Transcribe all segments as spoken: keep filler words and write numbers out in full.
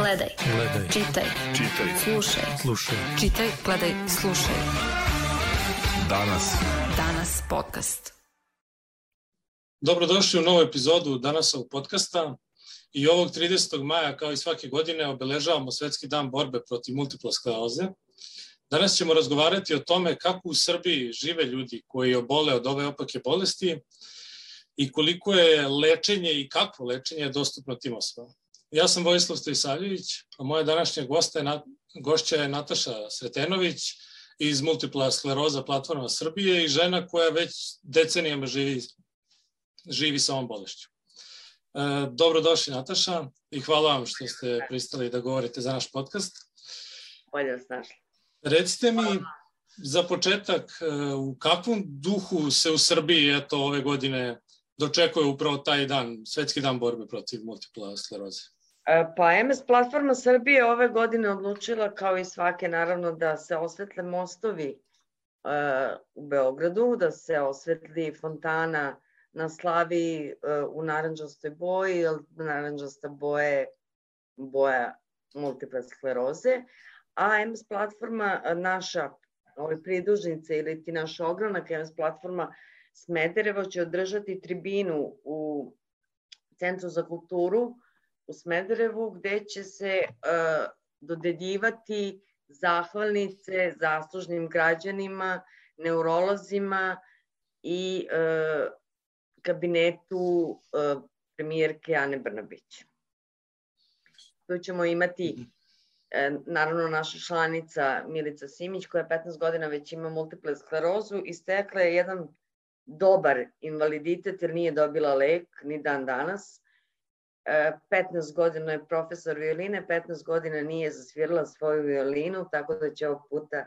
Gledaj. Gledaj. Čitaj. Čitaj. Slušaj. Slušaj. Čitaj, gledaj, slušaj. Danas. Danas podcast. Dobrodošli u novu epizodu Danasovog podcasta. I ovog tridesetog maja, kao i svake godine, obeležavamo Svetski dan borbe protiv multiple skleroze. Danas ćemo razgovarati o tome kako u Srbiji žive ljudi koji obole od ove opake bolesti i koliko je lečenje i kakvo lečenje je dostupno tim osobama. Ja sam Vojislav Stojisavljević, a moja današnja gosta je, gošća je Nataša Sretenović iz Multipla skleroza platforma Srbije i žena koja već decenijama živi, živi sa ovom bolešću. E, dobrodošli Nataša i hvala vam što ste pristali da govorite za naš podcast. Bolje vas našli. Recite mi za početak u kakvom duhu se u Srbiji eto, ove godine dočekuje upravo taj dan, Svetski dan borbe protiv multipla skleroze? Pa em es platforma Srbije ove godine odlučila, kao i svake naravno, da se osvetle mostovi uh, u Beogradu, da se osvetli fontana na Slaviji uh, u naranđastoj boji, jer naranđasta boje boja multiple skleroze, a em es platforma naša, ove pridužnice ili ti naš ogranak, em es platforma Smederevo će održati tribinu u Centru za kulturu u Smederevu, gde će se uh, dodeljivati zahvalnice zaslužnim građanima, neurolozima i uh, kabinetu uh, premijerke Ane Brnabić. Tu ćemo imati uh, naravno naša članica Milica Simić, koja petnaest godina već ima multiple sklerozu i stekla je jedan dobar invaliditet jer nije dobila lek ni dan danas. petnaest godina je profesor violine, petnaest godina nije zasvirala svoju violinu, tako da će ovog puta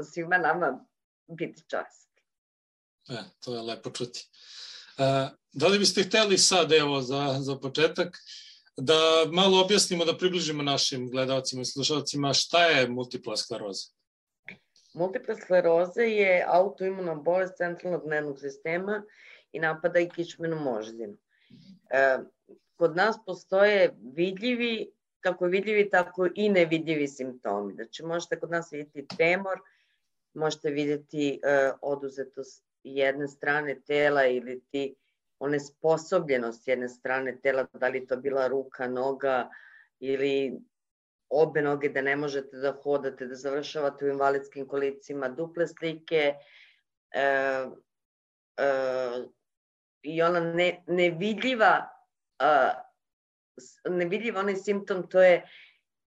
svima nama biti čast. E, to je lepo čuti. E, da li biste hteli sad, evo, za, za početak, da malo objasnimo, da približimo našim gledalcima i slušalcima šta je multipla skleroza? Multipla skleroza je autoimuna bolest centralnog nervnog sistema i napada i kičmenu moždinu. E, kod nas postoje vidljivi, kako vidljivi, tako i nevidljivi simptomi. Znači, možete kod nas vidjeti tremor, možete vidjeti e, oduzetost jedne strane tela ili ti onesposobljenost jedne strane tela, da li to bila ruka, noga ili obe noge, da ne možete da hodate, da završavate u invalidskim kolicima, duple slike, e, e, i ona ne, nevidljiva, uh, nevidljiv onaj simptom, to je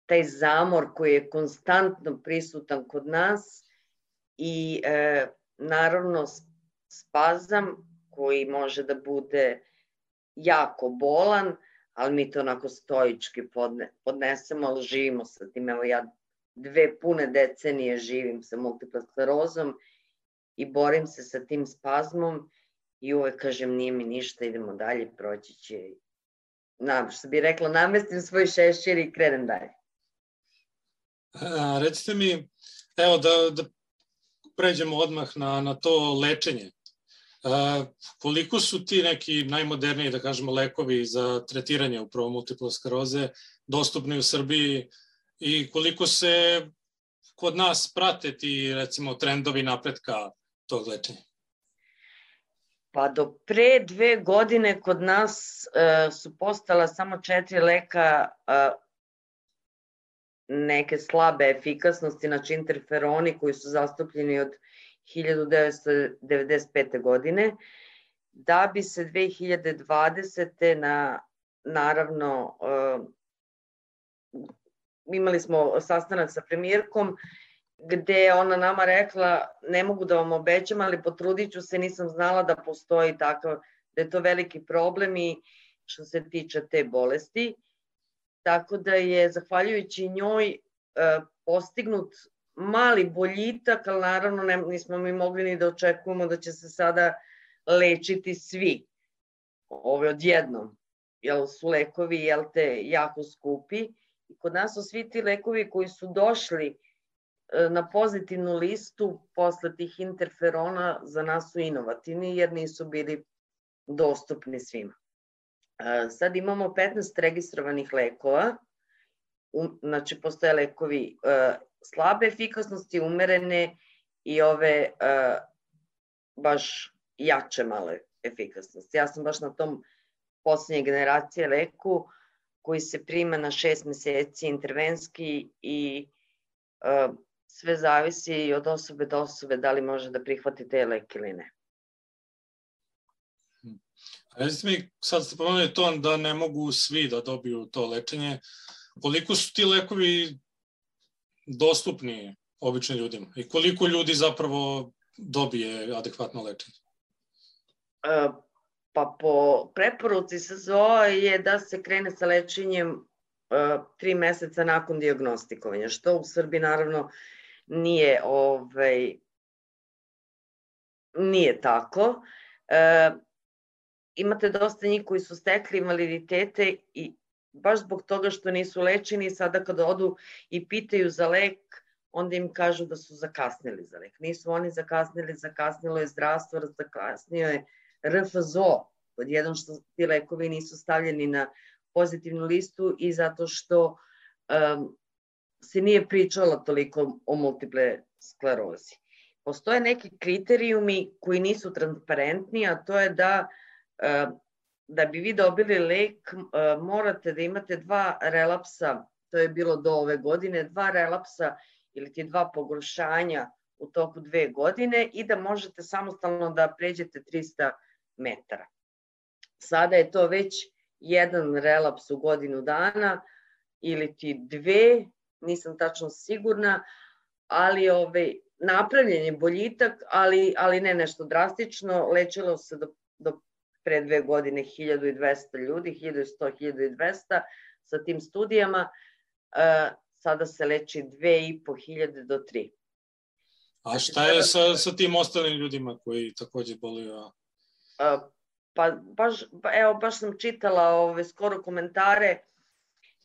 taj zamor koji je konstantno prisutan kod nas i uh, naravno spazam koji može da bude jako bolan, ali mi to onako stoički podne, podnesemo, ali živimo sa tim. Evo ja dve pune decenije živim sa multiple sklerozom i borim se sa tim spazmom. I uvek kažem, nije mi ništa, idemo dalje, proći će. Na, što bi rekla, namestim svoj šešir i krenem dalje. A, recite mi, evo da, da pređemo odmah na, na to lečenje. A, koliko su ti neki najmoderniji, da kažemo, lekovi za tretiranje upravo multiple skleroze dostupni u Srbiji i koliko se kod nas prate ti, recimo, trendovi napretka tog lečenja? Pa do pre dve godine kod nas uh, su postala samo četiri leka uh, neke slabe efikasnosti, znači interferoni koji su zastupljeni od hiljadu devetsto devedeset pete. godine, da bi se dve hiljade dvadesete. na, naravno, uh, imali smo sastanak sa premijerkom, gde je ona nama rekla, ne mogu da vam obećam, ali potrudit ću se, nisam znala da postoji takav, da je to veliki problem i što se tiče te bolesti. Tako da je, zahvaljujući njoj, postignut mali boljitak, ali naravno ne, nismo mi mogli ni da očekujemo da će se sada lečiti svi. Ove odjednom, jer su lekovi, jel te, jako skupi. I kod nas su svi ti lekovi koji su došli na pozitivnu listu posle tih interferona za nas su inovativni jer nisu bili dostupni svima. Sad imamo petnaest registrovanih lekova um, znači postoje lekovi uh, slabe efikasnosti, umerene i ove uh, baš jače male efikasnosti. Ja sam baš na tom posljednje generacije leku koji se prima na šest meseci intervenski i uh, sve zavisi od osobe do osobe da li može da prihvati te lek ili ne. Recite mi, sad ste pomenuli to da ne mogu svi da dobiju to lečenje. Koliko su ti lekovi dostupni običnim ljudima i koliko ljudi zapravo dobije adekvatno lečenje? Uh, pa po preporuci S Z O je da se krene sa lečenjem uh, tri meseca nakon dijagnostikovanja, što u Srbiji naravno nije, ovaj, nije tako. Uh, imate dosta njih koji su stekli invaliditete i baš zbog toga što nisu lečeni, sada kada odu i pitaju za lek, onda im kažu da su zakasnili za lek. Nisu oni zakasnili, zakasnilo je zdravstvo, zakasnio je R F Z O, pod jedan što ti lekovi nisu stavljeni na pozitivnu listu i zato što um, se nije pričalo toliko o multiple sklerozi. Postoje neki kriterijumi koji nisu transparentni, a to je da uh, da bi vi dobili lek uh, morate da imate dva relapsa, to je bilo do ove godine, dva relapsa ili ti dva pogoršanja u toku dve godine i da možete samostalno da pređete trista metara. Sada je to već jedan relaps u godinu dana ili ti dve, nisam tačno sigurna, ali ovaj, napravljen je boljitak, ali, ali ne nešto drastično. Lečilo se do, do pre dve godine hiljadu i dvesta ljudi, hiljadu i sto, hiljadu i dvesta sa tim studijama. Uh, sada se leči dve i po hiljade do tri. A šta je sa, sa tim ostalim ljudima koji takođe boluju? Uh, pa baš, evo, baš sam čitala ove, skoro komentare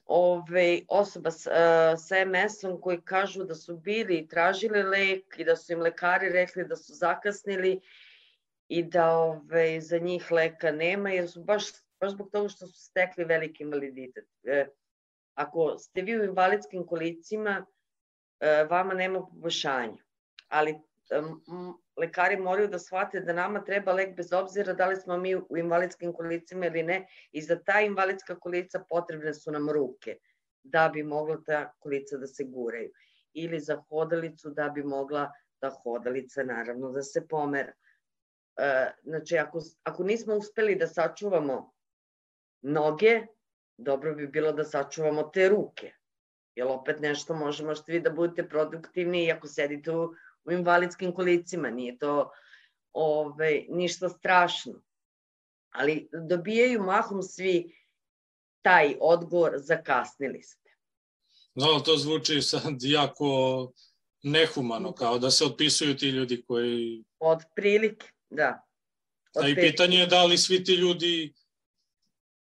ove, osoba s, uh, sa M S-om koji kažu da su bili i tražili lek i da su im lekari rekli da su zakasnili i da ove, za njih leka nema, jer su baš, baš zbog toga što su stekli veliki invaliditet. E, ako ste vi u invalidskim kolicima, e, vama nema poboljšanja, ali m, lekari moraju da shvate da nama treba lek bez obzira da li smo mi u invalidskim kolicima ili ne i za ta invalidska kolica potrebne su nam ruke da bi mogla ta kolica da se guraju ili za hodalicu da bi mogla ta hodalica naravno da se pomera. Znači, ako, ako nismo uspeli da sačuvamo noge, dobro bi bilo da sačuvamo te ruke. Jer opet nešto može, možete vi da budete produktivni i ako sedite u, u invalidskim kolicima, nije to ove, ništa strašno. Ali dobijaju mahom svi taj odgovor, zakasnili ste. No, to zvuči sad jako nehumano, kao da se otpisuju ti ljudi koji... Od prilike. Da. A i pitanje je da li svi ti ljudi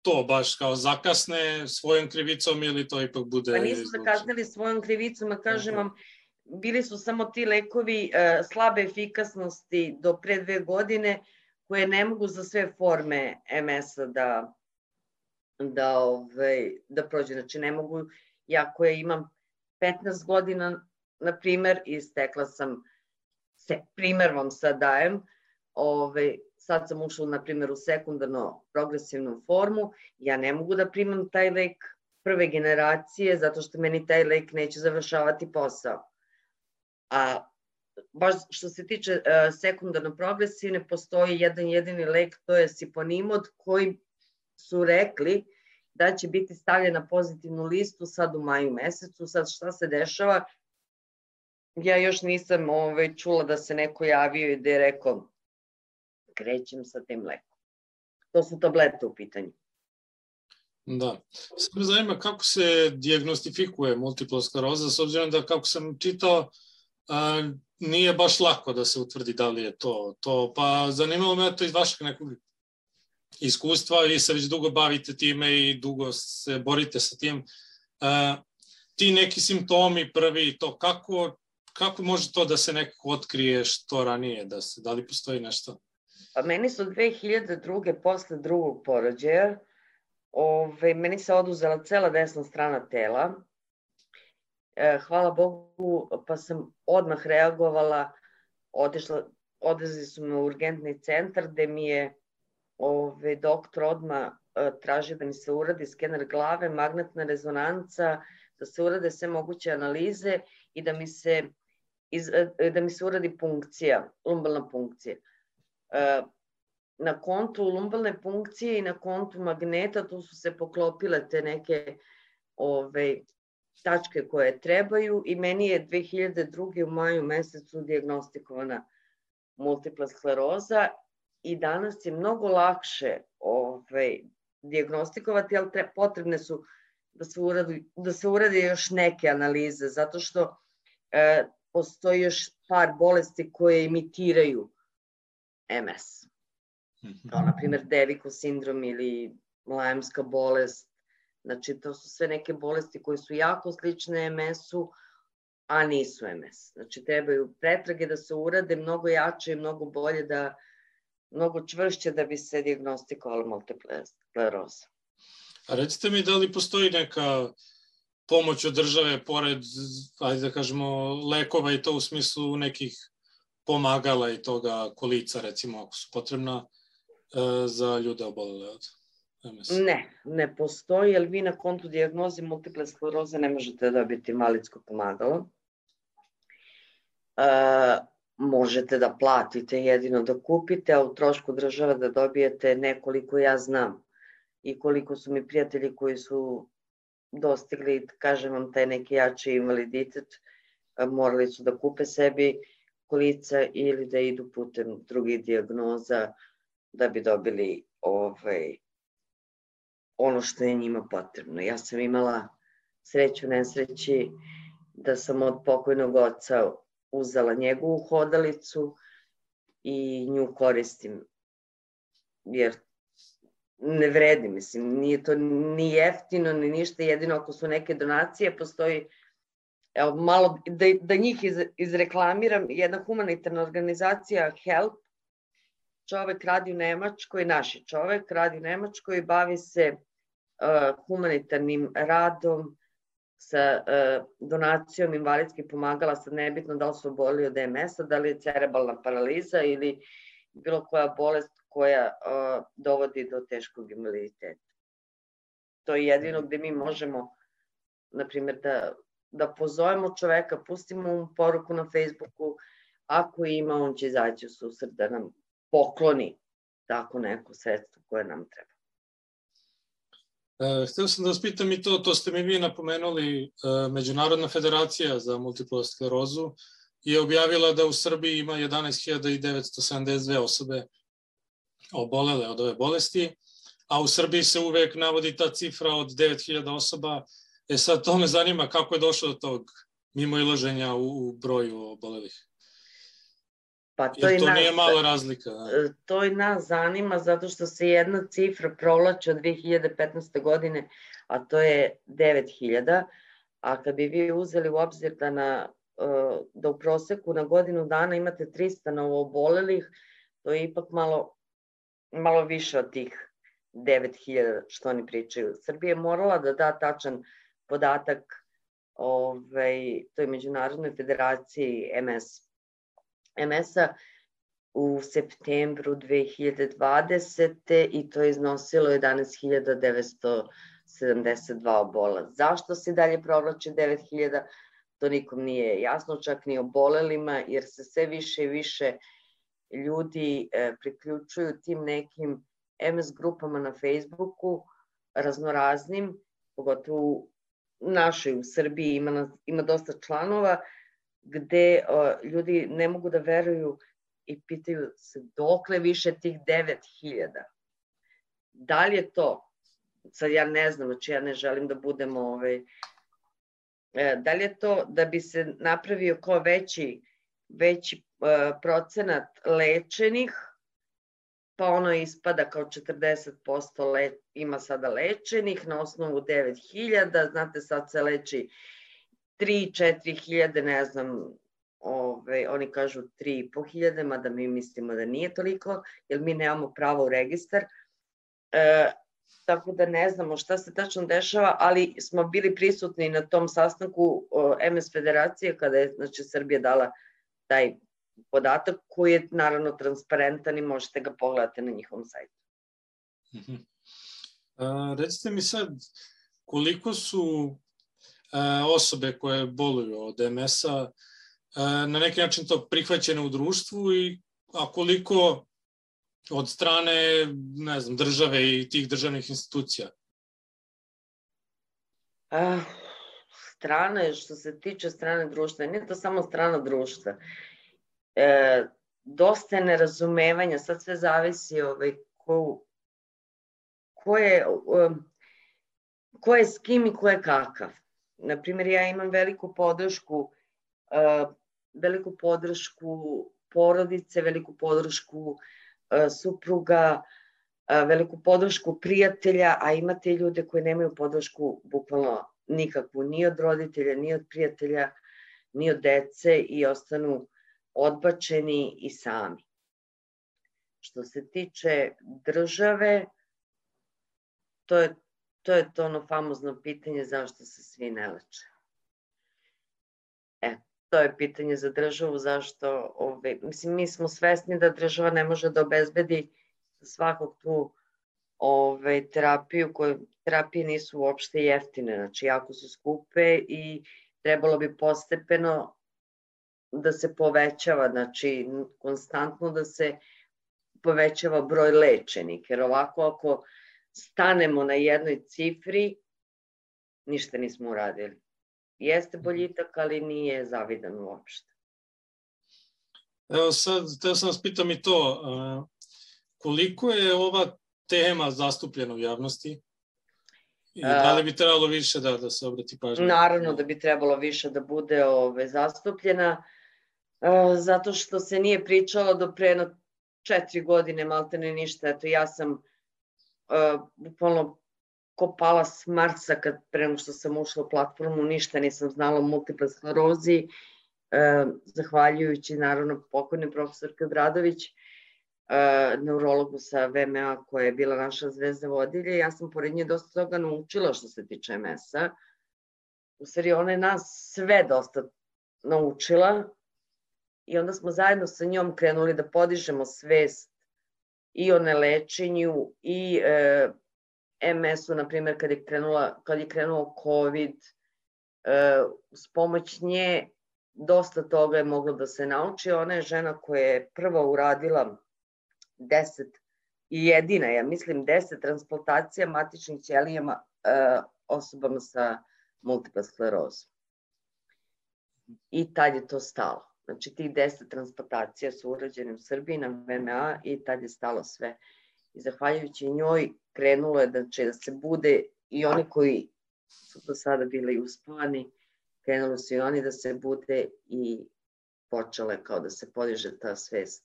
to baš kao zakasne svojom krivicom ili to ipak bude... Pa nisu zakasnili svojom krivicom, a kažem vam, bili su samo ti lekovi uh, slabe efikasnosti do pre dve godine koje ne mogu za sve forme M S-a da, da, ovaj, da prođe. Znači ne mogu, ja koja imam petnaest godina, na primer, i stekla sam, se, primer vam sad dajem, Ove, sad sam ušla, na primjer, u sekundarno progresivnu formu, ja ne mogu da primam taj lek prve generacije, zato što meni taj lek neće završavati posao. A baš što se tiče uh, sekundarno progresivne, postoji jedan jedini lek, to je siponimod, koji su rekli da će biti stavljen na pozitivnu listu sad u maju mesecu. Sad šta se dešava? Ja još nisam ove, čula da se neko javio i da je rekao krećem sa tim lekom. To su tablete u pitanju. Da. Sad me zanima kako se dijagnostifikuje multipla skleroza, s obzirom da, kako sam čitao, a, nije baš lako da se utvrdi da li je to. to. Pa zanimalo me to iz vašeg nekog iskustva, vi se već dugo bavite time i dugo se borite sa tim. A, ti neki simptomi prvi, to kako, kako može to da se nekako otkrije što ranije, da, se, da li postoji nešto? Pa meni su dve hiljade druge posle drugog porođaja, ove, meni se oduzela cela desna strana tela hvala Bogu, pa sam odmah reagovala, otišla, odvezli su me u urgentni centar gde mi je ove, doktor odmah traži da mi se uradi skener glave, magnetna rezonanca, da se urade sve moguće analize i da mi se, iz, da mi se uradi punkcija, lumbalna punkcija. Na kontu lumbalne punkcije i na kontu magneta tu su se poklopile te neke ove, tačke koje trebaju i meni je dve hiljade druge u maju mesecu dijagnostikovana multipla skleroza i danas je mnogo lakše ove, dijagnostikovati, ali tre, potrebne su da se, uradi, da se urade još neke analize, zato što e, postoji još par bolesti koje imitiraju em es. Kao, na primjer, Devikov sindrom ili Lajmska bolest. Znači, to su sve neke bolesti koje su jako slične em esu, a nisu em es. Znači, trebaju pretrage da se urade mnogo jače i mnogo bolje, da, mnogo čvršće da bi se dijagnostikovalo multipla skleroza. A recite mi, da li postoji neka pomoć od države pored, ajde da kažemo, lekova i to u smislu nekih pomagala i toga, kolica, recimo, ako su potrebna, za ljude obolele od em es? Ne, ne postoji, jer vi na kontu dijagnoze multiple skleroze ne možete dobiti invalidsko pomagalo. E, možete da platite, jedino da kupite, a u trošku država da dobijete nekoliko ja znam i koliko su mi prijatelji koji su dostigli, kažem vam, taj neki jači invaliditet, morali su da kupe sebi kolica ili da idu putem drugih dijagnoza da bi dobili ovaj, ono što je njima potrebno. Ja sam imala sreću, nesreći da sam od pokojnog oca uzela njegovu hodalicu i nju koristim, jer ne vredi, mislim, nije to ni jeftino, ni ništa, jedino ako su neke donacije, postoji, evo, malo, da, da njih iz, izreklamiram, jedna humanitarna organizacija HELP, čovek radi u Nemačkoj, naš je čovek, radi u Nemačkoj i bavi se uh, humanitarnim radom sa uh, donacijom invalidskih pomagala, sad nebitno da li su obolili od em esa, da li je cerebralna paraliza ili bilo koja bolest koja uh, dovodi do teškog invaliditeta. To je jedino gde mi možemo, na primjer, da, da pozovemo čoveka, pustimo mu poruku na Facebooku, ako ima, on će izaći u susret da nam pokloni tako neko sredstvo koje nam treba. E, hteo sam da vas pitam i to, to ste mi vi napomenuli, e, Međunarodna federacija za multiplu sklerozu je objavila da u Srbiji ima jedanaest hiljada devetsto sedamdeset dve osobe obolele od ove bolesti, a u Srbiji se uvek navodi ta cifra od devet hiljada osoba. E sad, to me zanima kako je došlo do tog mimoilaženja u, u broju obolelih. Pa to, Jer to nas, nije mala razlika. Da. To i nas zanima zato što se jedna cifra provlači od dve hiljade petnaeste. godine, a to je devet hiljada, a kad bi vi uzeli u obzir da, na, da u proseku na godinu dana imate trista novoobolelih, to je ipak malo, malo više od tih devet hiljada što oni pričaju. Srbija je morala da da tačan podatak ovaj, toj Međunarodnoj federaciji em es. em esa u septembru dve hiljade dvadesete. i to je iznosilo jedanaest hiljada devetsto sedamdeset dva obola. Zašto se dalje provlači devet hiljada? To nikom nije jasno, čak ni obolelima, jer se sve više i više ljudi e, priključuju tim nekim em es grupama na Facebooku, raznoraznim, pogotovo u našoj, u Srbiji ima, ima dosta članova, gde o, ljudi ne mogu da veruju i pitaju se dokle više tih devet hiljada. Da li je to, sad ja ne znam, znači ja ne želim da budem, ovaj, e, da li je to da bi se napravio kao veći, veći e, procenat lečenih, pa ono ispada kao četrdeset posto le, ima sada lečenih na osnovu devet hiljada, znate sad se leči tri do četiri hiljade, ne znam, ove, oni kažu tri i po hiljade, mada mi mislimo da nije toliko, jer mi nemamo pravo u registar. E, tako da ne znamo šta se tačno dešava, ali smo bili prisutni na tom sastanku em es Federacije kada je znači, Srbija dala taj podatak koji je naravno transparentan i možete ga pogledati na njihovom sajtu. Uh-huh. A, recite mi sad, koliko su a, osobe koje boluju od em es-a a, na neki način to prihvaćene u društvu, i, a koliko od strane, ne znam, države i tih državnih institucija? A, strane, što se tiče strane društva, nije to samo strana društva. E, dosta je nerazumevanja, sad sve zavisi ovaj, ko, ko, je, ko je s kim i ko je kakav. Naprimjer, ja imam veliku podršku, e, veliku podršku porodice, veliku podršku e, supruga, e, veliku podršku prijatelja, a imate ljude koji nemaju podršku bukvalno nikakvu, ni od roditelja, ni od prijatelja, ni od dece i ostanu odbačeni i sami. Što se tiče države, to je to, je to ono famozno pitanje zašto se svi ne leče. E, to je pitanje za državu, zašto, ove, mislim, mi smo svesni da država ne može da obezbedi svakog tu ove, terapiju, koje terapije nisu uopšte jeftine, znači jako su skupe i trebalo bi postepeno da se povećava, znači konstantno da se povećava broj lečenih, jer ovako ako stanemo na jednoj cifri, ništa nismo uradili. Jeste boljitak, ali nije zavidan uopšte. Evo sad, teo sam vas pitam i to, koliko je ova tema zastupljena u javnosti i da li bi trebalo više da, da se obrati pažnja? Naravno da bi trebalo više da bude ove, zastupljena, zato što se nije pričalo do pre na četiri godine, maltene ništa. Eto, ja sam uh, bukvalno kopala s Marsa kad pre nego što sam ušla u platformu, ništa nisam znala o multiple sklerozi, uh, zahvaljujući naravno pokojni profesorki Obradović, uh, neurologu sa ve em a koja je bila naša zvezda vodilja. Ja sam pored nje dosta toga naučila što se tiče em es-a. U stvari ona je nas sve dosta naučila. I onda smo zajedno sa njom krenuli da podižemo svest i o nelečenju i e, em es-u, na primjer, kad je, krenula, kad je krenuo COVID, e, s pomoć nje dosta toga je moglo da se nauči. Ona je žena koja je prva uradila deset i jedina, ja mislim, deset transplantacija matičnih ćelijama e, osobama sa multiple sklerozom. I tad je to stalo. Znači, tih deset transplantacija su urađene u Srbiji na ve em a i tad je stalo sve. I zahvaljujući njoj krenulo je da će da se bude i oni koji su do sada bili uspavani, krenuli su i oni da se bude i počele kao da se podiže ta svest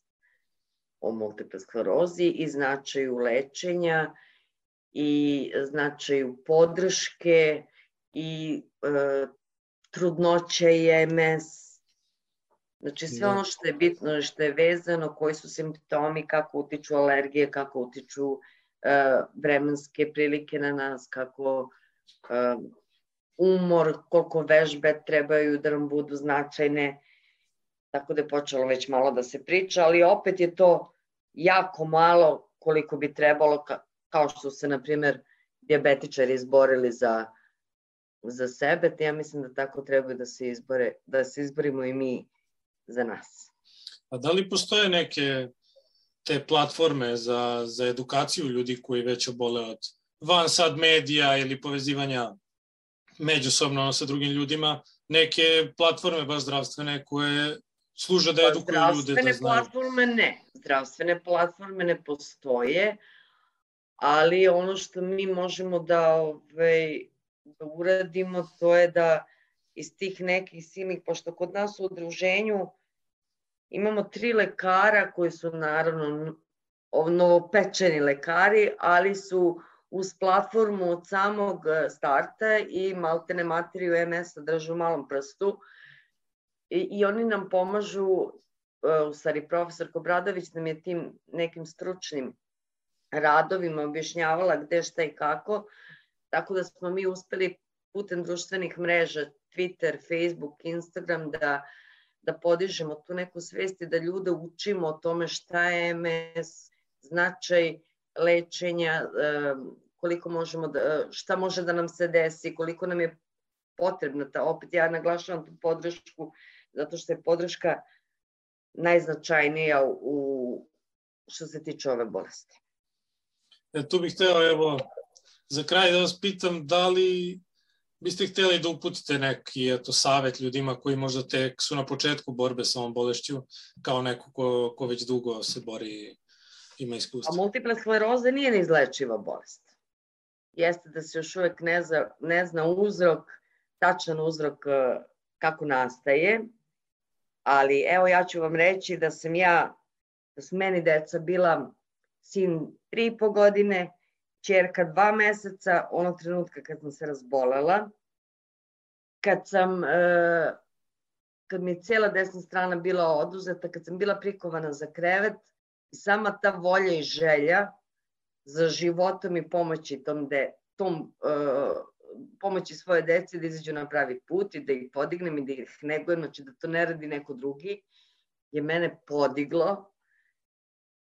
o multiple sklerozi i značaju lečenja i značaju podrške i e, trudnoće i em es. Znači sve ono što je bitno, što je vezano, koji su simptomi, kako utiču alergije, kako utiču uh, vremenske prilike na nas, kako uh, umor, koliko vežbe trebaju da nam budu značajne. Tako da je počelo već malo da se priča, ali opet je to jako malo koliko bi trebalo, ka, kao što su se, na primjer, dijabetičari izborili za, za sebe. Ja mislim da tako trebaju da se izbore, da se izborimo i mi za nas. A da li postoje neke te platforme za, za edukaciju ljudi koji već obole od van sad medija ili povezivanja međusobno sa drugim ljudima, neke platforme baš zdravstvene koje služe da edukuju ljude da znaju? Zdravstvene platforme ne. Zdravstvene platforme ne postoje, ali ono što mi možemo da, ovaj, da uradimo, to je da iz tih nekih silnih, pošto kod nas u udruženju imamo tri lekara koji su naravno novopečeni lekari, ali su uz platformu od samog starta i maltene materiju em es-a držu u malom prstu i, i oni nam pomažu, u stvari profesor Obradović nam je tim nekim stručnim radovima objašnjavala gde, šta i kako, tako da smo mi uspeli putem društvenih mreža, Twitter, Facebook, Instagram, da, da podižemo tu neku svest i da ljude učimo o tome šta je M S, značaj lečenja, koliko možemo da, šta može da nam se desi, koliko nam je potrebna ta, opet ja naglašavam tu podršku, zato što je podrška najznačajnija u, što se tiče ove bolesti. E, tu bih hteo, evo, za kraj da vas pitam, da li biste hteli da uputite neki, eto, savet ljudima koji možda tek su na početku borbe sa ovom bolešću, kao neko ko, ko već dugo se bori, ima iskustva? A multipla skleroza nije neizlečiva bolest. Jeste da se još uvek ne zna, ne zna uzrok, tačan uzrok kako nastaje, ali evo ja ću vam reći da sam ja, da su meni deca bila sin tri i po godine, ćerka dva meseca, onog trenutka kad sam se razbolela, kad sam, kad mi je cijela desna strana bila oduzeta, kad sam bila prikovana za krevet, i sama ta volja i želja za životom i pomoći tom, de, tom pomoći svoje deci da izađu na pravi put i da ih podignem i da ih negujem, znači da to ne radi neko drugi, je mene podiglo.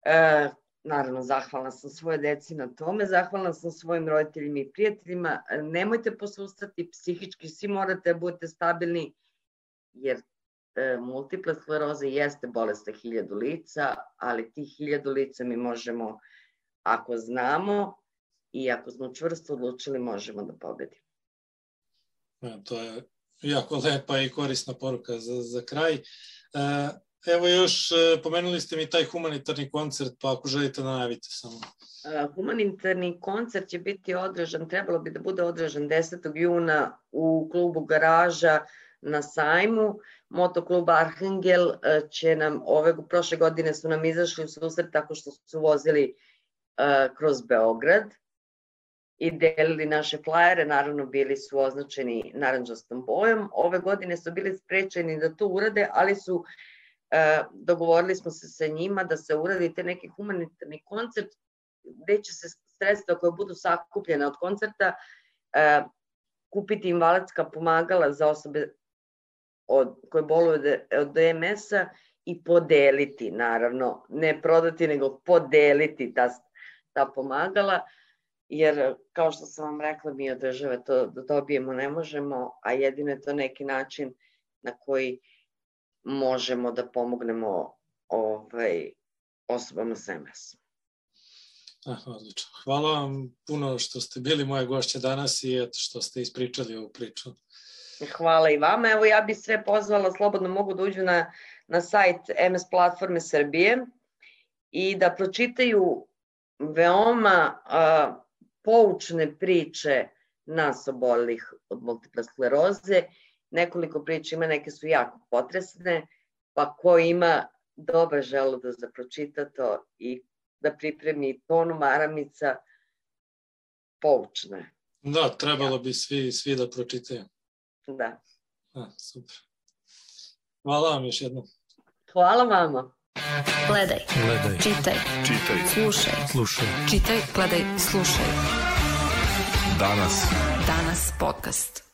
E, naravno, zahvalna sam svoje deci na tome, zahvalna sam svojim roditeljima i prijateljima. Nemojte posustati, psihički svi morate da budete stabilni, jer e, multipla skleroza jeste bolest hiljadu lica, ali tih hiljadu lica mi možemo, ako znamo, i ako smo čvrsto odlučili, možemo da pobedimo. Ja, to je jako lepa i korisna poruka za, za kraj. E, evo još, pomenuli ste mi taj humanitarni koncert, pa ako želite da najavite samo. E, humanitarni koncert će biti održan, trebalo bi da bude održan desetog juna u klubu Garaža na sajmu. Motoklub Arhangel će nam, ove, prošle godine su nam izašli u susret tako što su vozili e, kroz Beograd i delili naše flajere, naravno bili su označeni narandžastom bojom. Ove godine su bili sprečeni da to urade, ali su, e, dogovorili smo se sa njima da se uradite neki humanitarni koncert gde će se sredstva koje budu sakupljene od koncerta e, kupiti invalidska pomagala za osobe od, koje boluju od M S-a i podeliti, naravno, ne prodati, nego podeliti ta, ta pomagala. Jer, kao što sam vam rekla, mi od države to da dobijemo ne možemo, a jedino je to neki način na koji možemo da pomognemo ovaj, osobama s M S. Ah, odlično. Hvala vam puno što ste bili moja gošća danas i eto što ste ispričali ovu priču. Hvala i vama. Evo, ja bih sve pozvala, slobodno mogu da uđu na, na sajt M S platforme Srbije i da pročitaju veoma a, poučne priče nas obolelih od multiple skleroze. Nekoliko priča ima, neke su jako potresne, pa ko ima dobar želudac da pročita to i da pripremi tonu maramica, poučne. Da, trebalo bi svi, svi da pročitaju. Da. A, super. Hvala vam još jednom. Hvala vama. Gledaj, Gledaj, čitaj, čitaj, slušaj, slušaj. čitaj, gledaj, slušaj. Danas. Danas podcast.